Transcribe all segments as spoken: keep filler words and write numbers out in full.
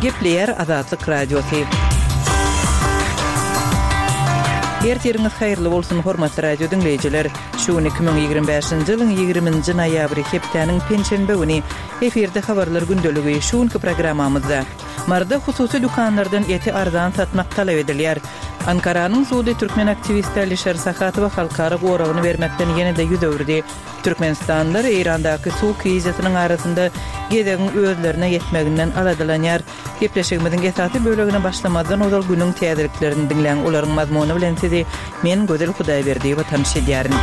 Gepleýär Azatlyk Radiosy. Ertiriňiz haýyrly bolsun, hormatly radio diňleýjiler. Şu gün iki müň ýigrimi bäşinji ýylyň ýigriminji noýabry, hepdäniň penşenbe güni. Efirde habarlar gündeligi. Şu günki programmamyzda Maryda hususy dükanlardan eti arzan satmak talap edilýär. Ankaranyň sudy türkmen aktiwisti Alişer Sahatowa halkara goragyny bermekden ýene-de ýüz öwürdi. Türkmenistanlylar Eýrandaky suw krizisiniň arasynda gezegiň özlerine ýetmeginden aladalanýar. Gepleşigimiziň esasy bölegine başlamazdan ozal günüň täzeliklerini diňläň, olaryň mazmuny bilen sizi men Gözel Hudaýberdiýewa tanyş edýärin.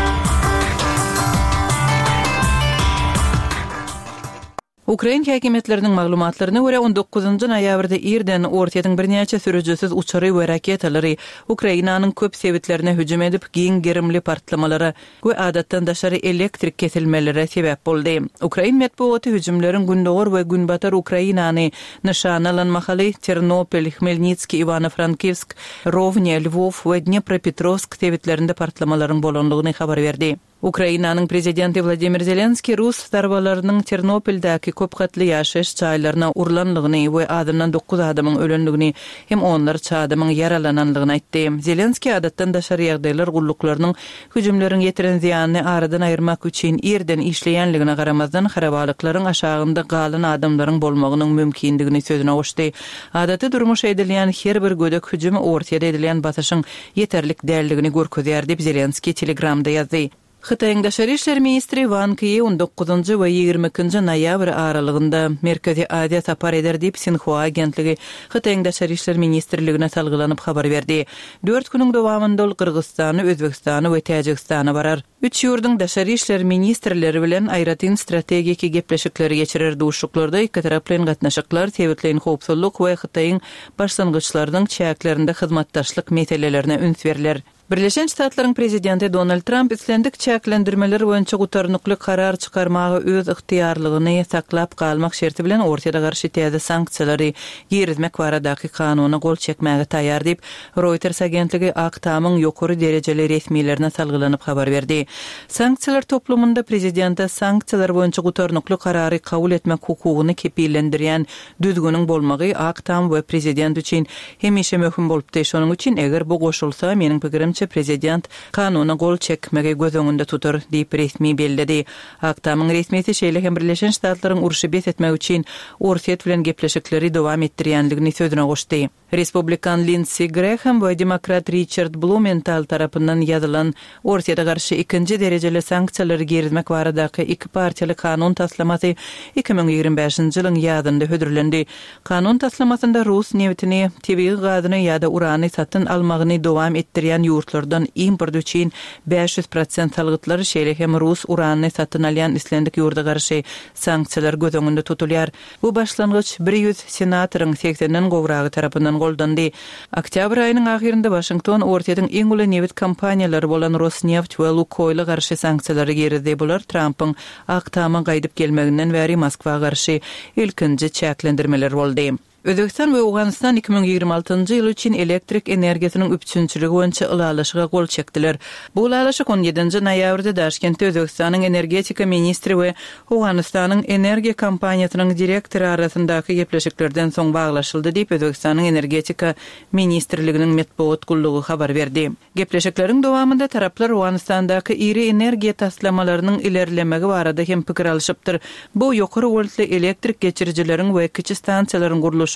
Ukrain häkimiýetleriniň maglumatlaryna görä, on dokuzynjy noýabrda irden Orsýetiň birnäçe sürüjisiz uçary we raketalary Ukrainanyň köp sebitlerine hüjüm edip, giň gerimli partlamalara we adatdan daşary elektrik kesilmelere sebäp boldy. Ukrain metbugaty hüjümleriň gündogar we günbatar Ukrainany nyşana alan mahaly Ternopil, Hmelnitskiý, Iwano-Frankivsk, Rowne, Lwow we Dnepropetrowsk sebitlerinde partlamalaryň bolandygyny habar berdi. Ukrainanyň prezidenti Wladimir Zelenskiý rus zarbalarynyň Ternopildäki köp gatly ýaşaýyş jaýlaryna urlandygyny we azyndan dokuz adamyň ölendigini hem onlarça adamyň ýaralanandygyny aýtdy. Zelenskiý adatdan daşary ýagdaýlar gulluklarynyň hüjümleriň ýetiren zyýanyny aradan aýyrmak üçin irden işleýänligine garamazdan harabalyklaryň aşagynda galan adamlaryň bolmagynyň mümkindigini sözüne goşdy. Adaty durmuşa edilýän her bir gödek hüjüm Orsýete edilýän basyşyň ýeterlik däldigini görkezýär diýip Zelenskiý Telegramda ýazdy. Hytaýyň daşary işler ministri Wang Yi on dokuzynjy we ýigrimi ikinji noýabr aralygynda Merkezi Aziýa sapar eder diýip Sinhua agentligi Hytaýyň daşary işler ministrligine salgylanyp habar berdi. Dört günüň dowamynda ol Gyrgyzystana, Özbegistana we Täjigistana barar. Üç ýurduň daşary işler ministrleri bilen aýratyn strategiki gepleşikleri geçirer. Duşuşyklarda ikitaraplaýyn gatnaşyklar, sebitleýin howpsuzlyk we Hytaýyň başlangyçlarynyň çäklerinde hyzmatdaşlyk meselelerine üns berler. Birleşen Ştatlaryň prezidenti Donald Tramp islendik çäklendirmeler boýunça gutarnykly karar çykarmaga öz ygtyýarlygyny saklap galmak şerti bilen Orsýete garşy täze sanksiýalary girizmek baradaky kanuna gol çekmäge taýýar diýip, Reuters agentligi Ak Tamyň ýokary derejeli resmilerine salgylanyp habar berdi. Sanksiýalar toplumynda prezidente sanksiýalar boýunça gutarnykly karary kabul etmek hukugyny kepillendirýän düzgüniň bolmagy Ak Tam we prezident üçin hemişe möhüm bolupdy. Şonuň üçin eger bu goşulsa, meniň pikirimçe prezident kanuna gol çekmegi göz öňünde tutar diýip resmi belledi. Ak Tamyň resmisi şeýle hem Birleşen Ştatlaryň urşy bes etmek üçin Orsýet bilen gepleşikleri dowam etdirýänligini sözüne goşdy. Respublikan Lindsey Graham we demokrat Riçard Blumenthal tarapyndan ýazylan Orsýete garşy ikinji derejeli sanksiýalary girizmek baradaky iki partiýaly kanun taslamasy iki müň ýigrimi bäşinji ýylyň ýazynda hödürlendi. Kanun taslamasynda rus nebitini, tebigy gazyny ýa-da urany satyn almagyny dowam etdirýän ýurtlardan import üçin bäş ýüz prosent salgytlar, şeýle hem rus uranyny satyn alýan islendik ýurda garşy sanksiýalar göz öňünde tutulýar. Bu başlangyç bir ýüz senatoryň segsenden gowragy tarapyndan goldandy. Oktýabr aýynyň ahyrynda Waşington Orsýetiň iň uly nebit kompaniýalary bolan Rosneft we Lukoýla garşy sanksiýalary girizdi. Bular Trampyň Ak Tama gaýdyp gelmeginden bäri Moskwa garşy ilkinji çäklendirmeler boldy. Özbegistan we Owganystan iki müň ýigrimi altynjy ýyl üçin elektrik energiýasynyň üpjünçiligi boýunça ylalaşyga gol çekdiler. Bu ylalaşyk on ýedinji noýabrda Daşkentde Özbegistanyň energetika ministri we Owganystanyň energiýa kompaniýasynyň direktory arasyndaky gepleşiklerden soň baglaşyldy diýip, Özbegistanyň energetika ministrliginiň metbugat gullugy habar berdi. Gepleşikleriň dowamynda taraplar Owganystandaky iri energiýa taslamalarynyň ilerlemegi barada hem pikir alyşypdyr. Bu ýokary woltly elektrik geçirijileriň we kiçi stansiýalaryň gurluşygyny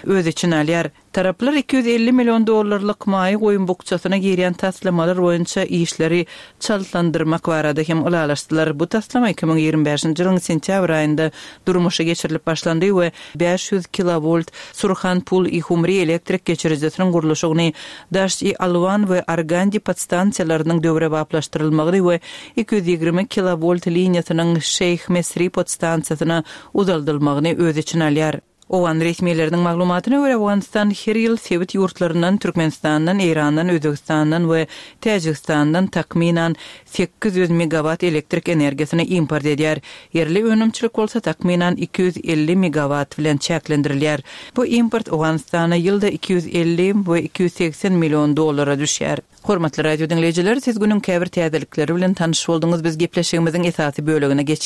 öz içine alýar. Taraplar iki ýüz elli million dollarlyk maýa goýum bukjasyna girýän taslamalar boýunça işleri çaltlandyrmak barada hem ylalaşdylar. Bu taslama iki müň ýigrimi bäşinji ýylyň sentýabr aýynda durmuşa geçirilip başlandy we bäş ýüz kilowolt Surhan-Pul-i-Humri elektrik geçirijisiniň gurluşygyny, Daşt-i-Alwan we Argandi podstansiýalarynyň döwrebaplaşdyrylmagyny we iki ýüz ýigrimi kilowolt liniýasynyň Şeýh-Mesri podstansiýasyna uzaldylmagyny öz içine alýar. Owgan resmileriniň maglumatyna görä, Owganystan her ýyl sebit ýurtlaryndan, Türkmenistandan, Eýrandan, Özbegistandan we Täjigistandan takmynan sekiz ýüz megawatt elektrik energiýasyny import edýär. Ýerli önümçilik bolsa takmynan iki ýüz elli megawatt bilen çäklendirilýär. Bu import Owganystana ýylda iki ýüz elli we iki ýüz segsen million dollara düşýär. Hormatly radio diňleýjiler, siz günüň käbir täzelikleri bilen tanyş bolduňyz. Biz gepleşigimiziň esasy bölegine geçýäris.